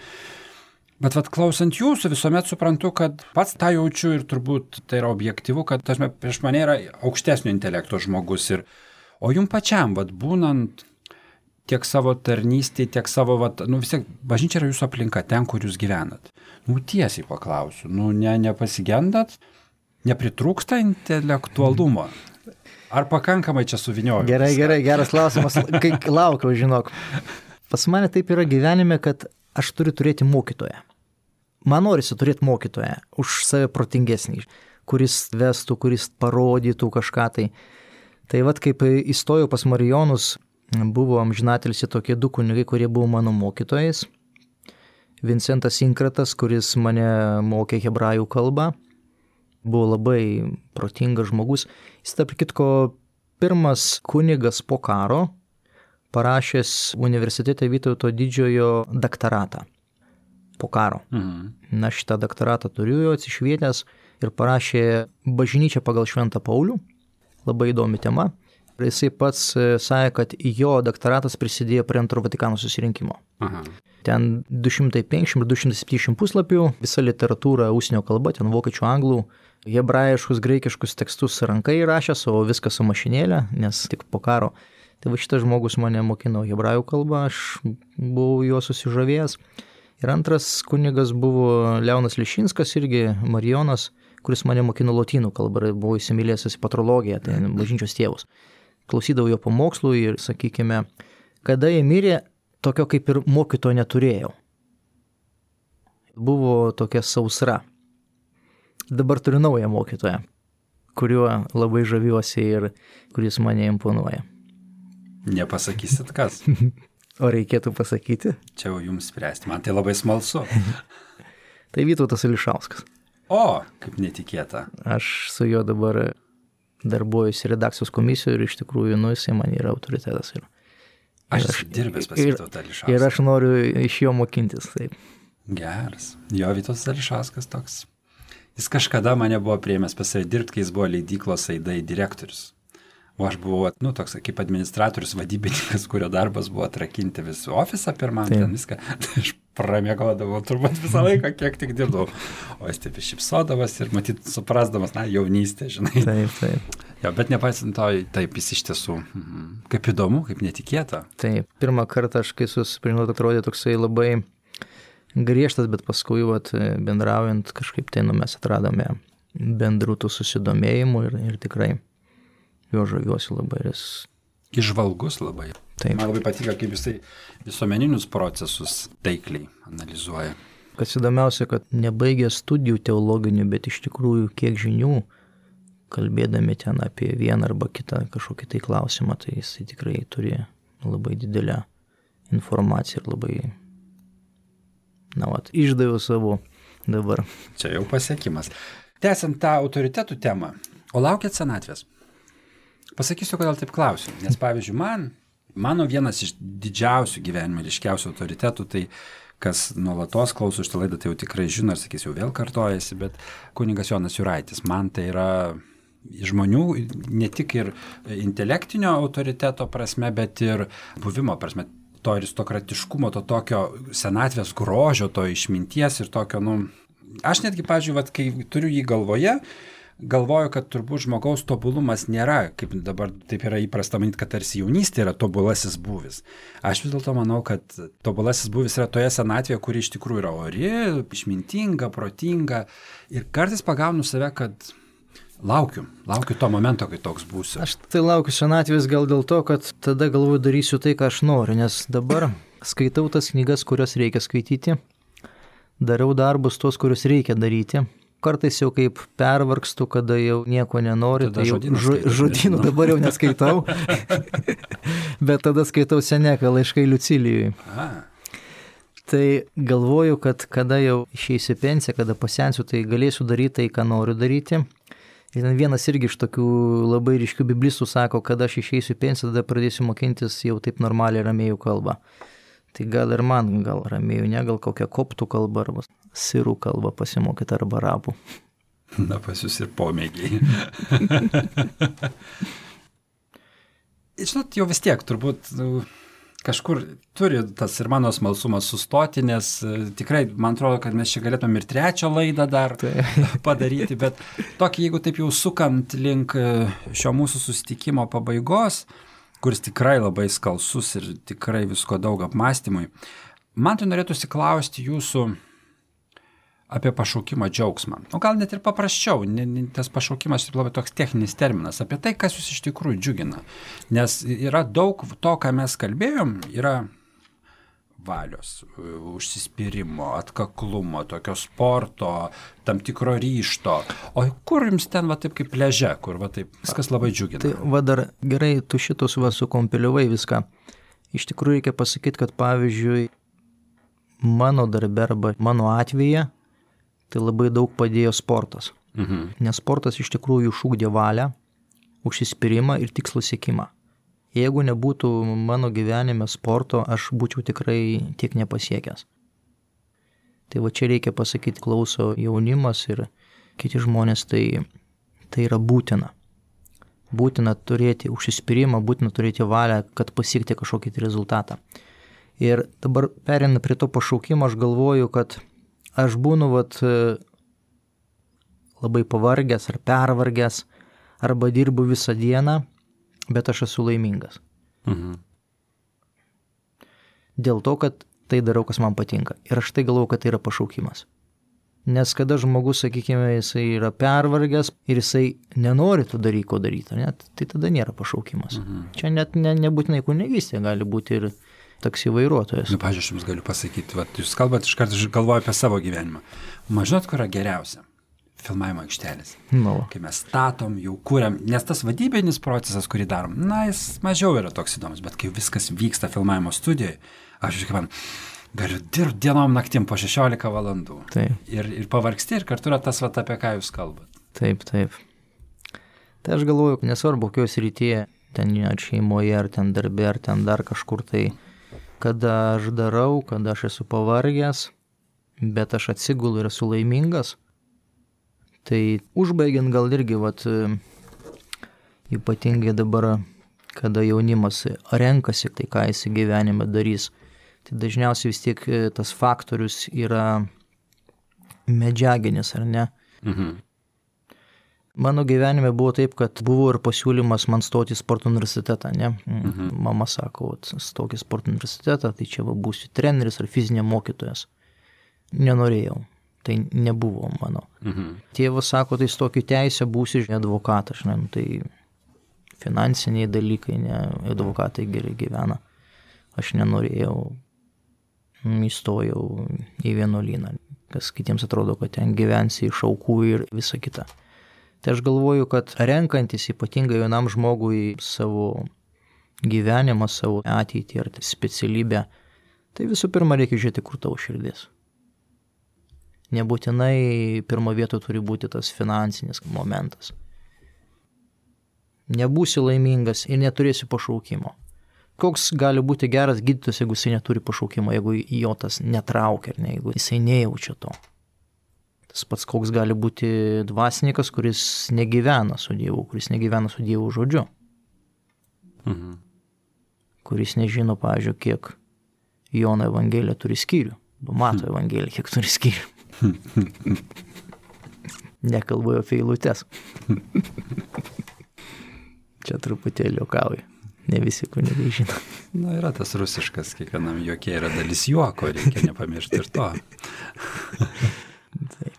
Bet klausant jūsų visuomet suprantu, kad pats tą jaučiu ir turbūt tai yra objektyvu, kad prieš mane yra aukštesnio intelekto žmogus. O jums pačiam, būnant tiek savo tarnystėje, tiek savo, vis tiek bažnyčia yra jūsų aplinka, ten, kur jūs gyvenat. Tiesiai paklausiu, nepasigendat, nepritrūksta intelektualumo? Ar pakankamai čia suvinioju? Gerai, geras klausimas, kai laukiau, žinok. Pas mane taip yra gyvenime, kad aš turiu turėti mokytoją. Man norisi turėti mokytoją už save protingesnį, kuris vestų, kuris parodytų kažką tai. Tai kaip įstojau pas Marijonus, buvo amžinatilsį tokie du kunigai, kurie buvo mano mokytojais. Vincentas Inkratas, kuris mane mokė hebrajų kalbą, buvo labai protingas žmogus. Jis, tarp kitko, pirmas kunigas po karo, parašęs universitete Vytauto Didžiojo daktaratą po karo. Na, šitą daktaratą turiu jo atsišvietęs ir parašė Bažnyčią pagal Šventą Paulių. Labai įdomi tema. Ir jisai pats sakė, kad jo daktoratas prisidėjo prie Antro Vatikano susirinkimo. Ten 250 ir 270 puslapių, visa literatūra užsienio kalba, ten vokiečių, anglų, hebrajiškus, graikiškus tekstus rankai rašęs, o viskas su mašinėlė, nes tik po karo. Tai šitas žmogus mane mokino hebrajų kalbą, aš buvau juo susižavėjęs. Ir antras kunigas buvo Leonas Lišinskas, irgi Marijonas, kuris mane mokino lotynų kalbą ir buvo įsimylėjęs į patrologiją, tai bažnyčios tėvus. Klausydavau jo pamokslų ir, sakykime, kada jie mirė, tokio kaip ir mokytojo neturėjau. Buvo tokia sausra. Dabar turiu naują mokytoją, kuriuo labai žaviuosi ir kuris mane imponuoja. Nepasakysit kas? O reikėtų pasakyti? Čia jau jums spręsti, man tai labai smalsu. Tai Vytautas Ališauskas. O, kaip netikėta. Aš su juo dabar darbuojuosi redakcijos komisijoje ir iš tikrųjų, jisai man yra autoritetas. Aš dirbęs pas Vytautą Ališauską. Ir aš noriu iš jo mokintis. Taip. Geras. Jo, Vytautas Ališauskas toks. Jis kažkada mane buvo priėmęs pas save dirbti, kai jis buvo leidyklos Aidai direktorius. O aš buvau, toks kaip administratorius, vadybininkas, kurio darbas buvo atrakinti visų ofisą pirmam, ten viską. Tai aš pramiegodavau turbūt visą laiką, kiek tik dirbdavau. O jis taip iššypsodavas ir matyt suprasdamas, jaunystė, žinai. Taip. Jo, bet nepaisant to, taip jis iš tiesų, kaip įdomu, kaip netikėta. Taip, pirmą kartą aš kai susipažinau, atrodė toksai labai griežtas, bet paskui bendraujant kažkaip tai mes atradome bendrų tų susidomėjimų ir tikrai jo žaviuosi labai. Įžvalgus labai. Taip. Man labai patinka, kaip jisai visuomeninius procesus taikliai analizuoja. Kas įdomiausia, kad nebaigė studijų teologinių, bet iš tikrųjų kiek žinių, kalbėdami ten apie vieną arba kitą kažkokį tai klausimą, tai jisai tikrai turi labai didelę informaciją ir labai, išdaviau savo dabar. Čia jau pasiekimas. Tęsiant tą autoritetų temą, o laukiat senatvės? Pasakysiu, kodėl taip klausiu. Nes, pavyzdžiui, mano vienas iš didžiausių gyvenime, ryškiausių autoritetų, tai kas nuolatos klauso šitą laidą, tai jau tikrai žino, ir sakys, jau vėl kartojasi, bet kunigas Jonas Juraitis. Man tai yra žmonių ne tik ir intelektinio autoriteto prasme, bet ir buvimo prasme. To aristokratiškumo, to tokio senatvės grožio, to išminties ir tokio, aš netgi, pavyzdžiui, kai turiu jį galvoje, galvoju, kad turbūt žmogaus tobulumas nėra, kaip dabar taip yra įprasta manyti, kad tarsi jaunystė yra tobulasis būvis. Aš vis dėlto manau, kad tobulasis būvis yra toje senatvėje, kuri iš tikrųjų yra ori, išmintinga, protinga ir kartais pagaunu save, kad laukiu to momento, kai toks būsiu. Aš tai laukiu senatvės gal dėl to, kad tada galvoju darysiu tai, ką aš noriu, nes dabar skaitau tas knygas, kurias reikia skaityti, darau darbus tos, kuriuos reikia daryti. Kartais jau kaip pervargstu, kada jau nieko nenoriu, tada tai žodynų dabar jau neskaitau, bet tada skaitau Seneką laiškai Liucilijui. Tai galvoju, kad kada jau išeisiu pensiją, kada pasensiu, tai galėsiu daryti tai, ką noriu daryti. Ir vienas irgi iš tokių labai ryškių biblistų sako, kad aš išeisiu pensiją, tada pradėsiu mokintis jau taip normaliai ramėjų kalbą. Tai gal ir man, gal ramėjų, ne, gal kokią koptų kalbą arba sirų kalbą pasimokyti arba arabų. Na, pas jūs ir pomėgiai. Žinot, jau vis tiek turbūt kažkur turi tas ir mano smalsumas sustoti, nes tikrai man atrodo, kad mes čia galėtume ir 3 laidą dar padaryti, bet tokį, jeigu taip jau sukant link šio mūsų susitikimo pabaigos, kuris tikrai labai skalsus ir tikrai visko daug apmąstymui, man tai norėtųsi klausti jūsų apie pašaukimą džiaugsmą. O gal net ir paprasčiau, tas pašaukimas yra labai toks techninis terminas, apie tai, kas jūs iš tikrųjų džiugina. Nes yra daug to, ką mes kalbėjom, yra valios, užsispyrimo, atkaklumo, tokio sporto, tam tikro ryžto. O kur jums ten va taip kaip pliaže, kur va taip viskas labai džiugina? Tai va dar gerai, tu šitus va sukompiliavai viską. Iš tikrųjų reikia pasakyti, kad pavyzdžiui, mano darbe arba mano atveju, tai labai daug padėjo sportas. Nes sportas iš tikrųjų išugdė valią, užsispyrimą ir tikslų siekimą. Jeigu nebūtų mano gyvenime sporto, aš būčiau tikrai tiek nepasiekęs. Tai va čia reikia pasakyti, klauso jaunimas ir kiti žmonės, tai yra būtina. Būtina turėti užsispyrimą, būtina turėti valią, kad pasiekti kažkokį rezultatą. Ir dabar perina prie to pašaukimo, aš galvoju, kad aš būnu labai pavargęs ar pervargęs, arba dirbu visą dieną, bet aš esu laimingas. Dėl to, kad tai darau, kas man patinka. Ir aš tai galvoju, kad tai yra pašaukimas. Nes kada žmogus, sakykime, jisai yra pervargęs ir jisai nenori tų dalyko daryti, tai tada nėra pašaukimas. Čia net nebūtinai kunigystė, gali būti ir taksi vairuotojas. Pavyzdžiui, aš jums galiu pasakyti, jūs kalbat, iš karto galvoju apie savo gyvenimą. Žinot, kur yra geriausia? Filmavimo aikštelės. Kai mes statom, jau kūriam, nes tas vadybinis procesas, kurį darom, jis mažiau yra toks įdomus, bet kai viskas vyksta filmavimo studijoje, aš man galiu dirbti dienom naktim po 16 valandų. Taip. Ir pavargsti, ir kartu yra tas, apie ką jūs kalbat. Taip. Tai aš galvoju, nesvarbu, kokios rytyje, ten ar šeimoje, ar ten darbe, ar ten dar kažkur tai, kada aš darau, kada aš esu pavargęs, bet aš atsigulu ir esu laimingas, tai užbaigiant gal irgi, ypatingai dabar, kada jaunimas renkasi, tai ką jis gyvenime darys, tai dažniausiai vis tiek tas faktorius yra medžiaginis, ar ne? Mano gyvenime buvo taip, kad buvo ir pasiūlymas man stoti į sporto universitetą, ne? Mama sako, stok į sporto universitetą, tai čia būsiu treneris ar fizinė mokytojas. Nenorėjau, tai nebuvo mano. Tėvas sako, tai stok į teisę, būsiu advokatas, tai finansiniai dalykai, ne, advokatai gerai gyvena. Aš nenorėjau, įstojau į vienuolyną, kas kitiems atrodo, kad ten gyvensi iš aukų ir visa kita. Tai aš galvoju, kad renkantis ypatingai jaunam žmogui savo gyvenimą, savo ateitį ar specialybę, tai visų pirma reikia žiūrėti, kur tavo širdis. Nebūtinai pirmo vieto turi būti tas finansinis momentas. Nebūsi laimingas ir neturėsi pašaukimo. Koks gali būti geras gydytojas, jeigu jisai neturi pašaukimo, jeigu jo tas netraukia, ar ne, jeigu jisai nejaučia to. Tas pats koks gali būti dvasininkas, kuris negyvena su Dievu, kuris negyvena su Dievo žodžiu. Kuris nežino, pavyzdžiui, kiek Jono Evangelija turi skyrių. Mato Evangelija, kiek turi skyrių. Nekalbu apie eilutes. Čia truputėlį juokauju. Ne visi kunigai žino. Yra tas rusiškas, kiekvienam juoke yra dalis juoko, reikia nepamiršti ir to. Taip.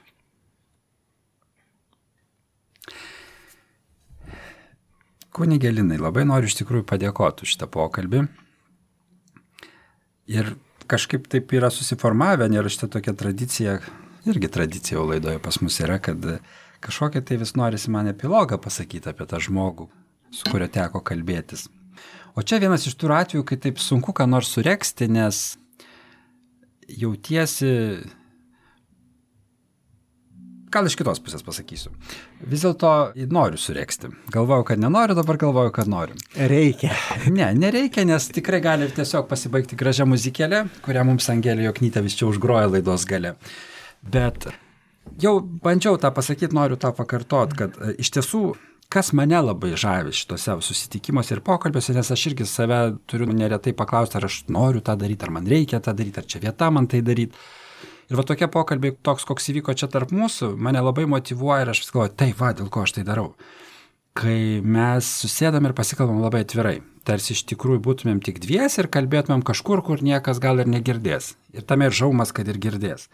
Kunige Linai, labai noriu iš tikrųjų padėkoti už šitą pokalbį. Ir kažkaip taip yra susiformavę, nėra šitą tokia tradicija, irgi tradicija jau laidoje pas mus yra, kad kažkokia tai vis norisi man epilogą pasakyti apie tą žmogų, su kurio teko kalbėtis. O čia vienas iš tų atvejų, kai taip sunku ką nors suregzti, nes jautiesi gal iš kitos pusės pasakysiu. Vis dėlto noriu sureksti. Galvojau, kad nenoriu, dabar galvoju, kad noriu. Reikia. Ne, nereikia, nes tikrai gali tiesiog pasibaigti gražią muzikėlę, kurią mums Angelė Joknytė vis čia užgroja laidos gale. Bet jau bandžiau tą pasakyti, noriu tą pakartot, kad iš tiesų, kas mane labai žavi šitose susitikimuose ir pokalbiuose, nes aš irgi save turiu neretai paklausti, ar aš noriu tą daryti, ar man reikia tą daryti, ar čia vieta man tai daryti. Ir va tokie pokalbiai, toks, koks įvyko čia tarp mūsų, mane labai motyvuoja ir aš vis galvoju, taip va, dėl ko aš tai darau. Kai mes susėdam ir pasikalbam labai atvirai, tarsi iš tikrųjų būtumėm tik dviesi ir kalbėtumėm kažkur, kur niekas gal ir negirdės. Ir tame ir žaumas, kad ir girdės.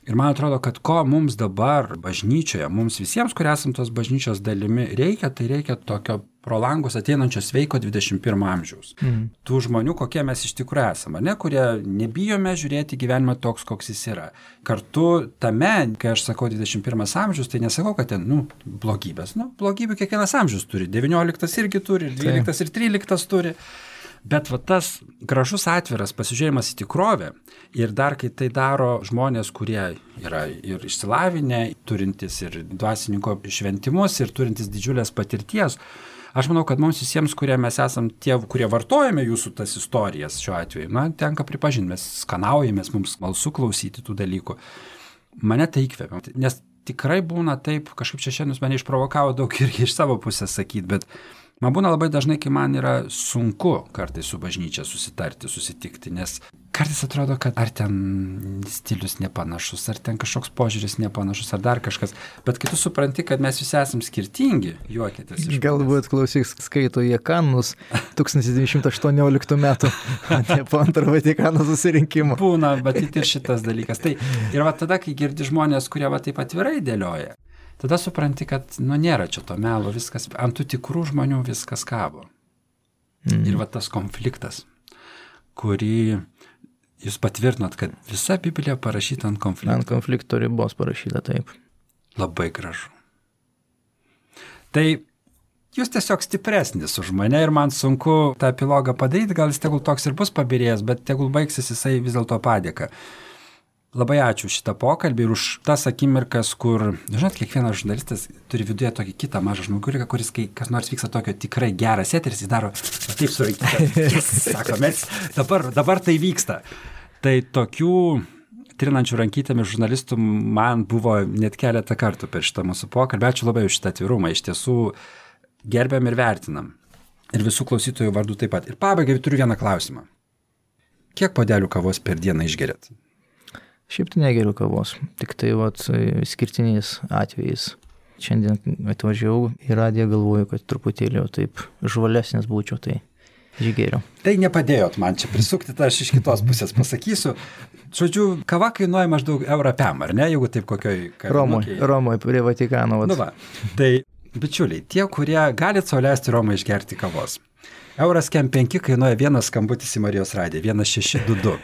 Ir man atrodo, kad ko mums dabar bažnyčioje, mums visiems, kurie esam tos bažnyčios dalimi, reikia, tai reikia tokio pro langus ateinančio sveiko 21 amžiaus. Tų žmonių, kokie mes iš tikrųjų esame, ne, kurie nebijome žiūrėti gyvenimą toks, koks jis yra. Kartu tame, kai aš sakau 21 amžius, tai nesakau, kad ten, blogybės. Blogybių kiekvienas amžius turi. 19 irgi turi, 12 ir 13 turi. Bet va tas gražus atviras pasižiūrėjimas į tikrovę ir dar kai tai daro žmonės, kurie yra ir išsilavinę, turintys ir dvasininko šventimus ir turintys didžiulės patirties, aš manau, kad mums visiems, kurie mes esam tie, kurie vartojame jūsų tas istorijas šiuo atveju, tenka pripažinti, mes skanaujamės, mums smalsu klausyti tų dalykų. Mane tai įkvepia, nes tikrai būna taip, kažkaip čia šiandien mane išprovokavo daug irgi iš savo pusės sakyti, bet man būna labai dažnai, kai man yra sunku kartais su bažnyčia susitarti, susitikti, nes kartais atrodo, kad ar ten stilius nepanašus, ar ten kažkoks požiūris nepanašus, ar dar kažkas, bet kai tu supranti, kad mes visi esam skirtingi, juokitės iš manęs. Galbūt klausyk, skaito jie kanus 1918 metų, ne po antro Vatikano susirinkimo. Būna, bet ir šitas dalykas. Tai ir va tada, kai girdi žmonės, kurie va taip atvirai dėlioja, tada supranti, kad nėra čia to melo, viskas, ant tų tikrų žmonių viskas kabo. Ir va tas konfliktas, kurį jūs patvirtinot, kad visa Biblija parašyta ant konflikto. Ant konflikto ribos parašyta, taip. Labai gražu. Tai jūs tiesiog stipresnis už mane ir man sunku tą epilogą padaryti, gal jis tegul toks ir bus pabirėjęs, bet tegul baigsis jisai vis dėlto padėka. Labai ačiū šitą pokalbį ir už tas akimirkas, kur, žinot, kiekvienas žurnalistas turi viduje tokį kitą mažą žmoguriką, kuris, kai kas nors vyksta tokio tikrai geras eteris, jis daro taip surankytą. Sako, mes dabar tai vyksta. Tai tokių trinančių rankytėmis žurnalistų man buvo net keletą kartų per šitą mūsų pokalbį. Ačiū labai už šitą atvirumą. Iš tiesų gerbiam ir vertinam. Ir visų klausytojų vardų taip pat. Ir pabaigai turiu vieną klausimą. Kiek puodelių kavos per dieną išgeriat? Šiaip tai negeriu kavos, tik tai skirtiniais atvejais. Šiandien atvažiavau į radiją, galvoju, kad truputėlį taip žvalesnis būčiau, tai išgeriu. Tai nepadėjot man čia prisukti, tai aš iš kitos pusės pasakysiu. Žodžiu, kava kainuoja maždaug eurą pem, ar ne, jeigu taip kokioj kavinukėje. Romoje prie Vatikano. Tai, bičiuliai, tie, kurie galit sau leisti Romoje išgerti kavos. Euras kem 5 kainuoja vienas skambutis į Marijos radiją, 1622.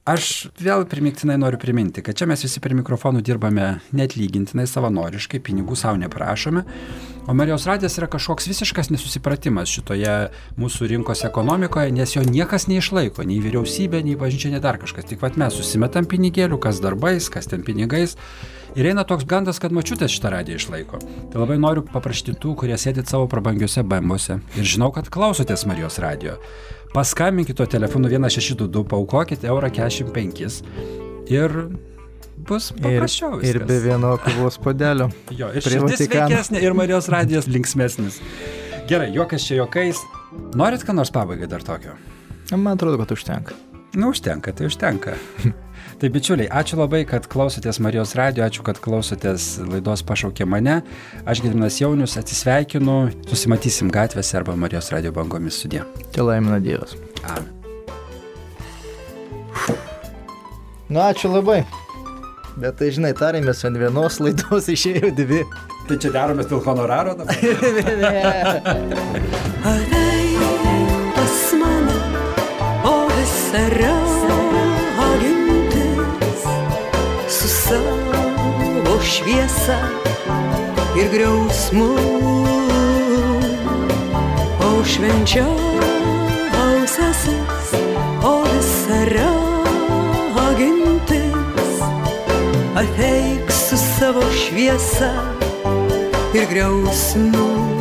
Aš vėl primiktinai noriu priminti, kad čia mes visi prie mikrofonų dirbame neatlygintinai, savanoriškai, pinigų savo neprašome, o Marijos radijas yra kažkoks visiškas nesusipratimas šitoje mūsų rinkos ekonomikoje, nes jo niekas neišlaiko, nei vyriausybė, nei bažnyčia, nei dar kažkas. Tik mes susimetam pinigėlių, kas darbais, kas ten pinigais. Ir eina toks gandas, kad močiutės šitą radiją išlaiko. Tai labai noriu paprašyti tų, kurie sėdit savo prabangiuose bembuose ir žinau, kad klausotės Marijos radijo. Paskambinkite telefonu 1622, paaukokite €45 ir bus paprasčiau viskas. Ir be vieno kavos puodelio. Jo, ir širdis sveikesnė, ir Marijos radijas linksmesnis. Gerai, juokas čia juokais. Norit ką nors pabaigai dar tokio? Man atrodo, kad užtenka. Užtenka, tai užtenka. Tai bičiuliai, ačiū labai, kad klausotės Marijos radijo, ačiū, kad klausotės laidos Pašaukė mane. Aš Gediminas Jaunius, atsisveikinu, susimatysim gatvėse arba Marijos radijo bangomis sudie. Te laimina Dievas. Amen. Ačiū labai. Bet tai, žinai, tarėmės ant vienos laidos, išėjo 2. Tai čia daromės dėl honoraro dabar? Ateik pas mane, o visą su savo šviesa ir griausmu, o švenčiausiasis, o visa ragintis, ateik su savo šviesa. šviesa ir griausmu.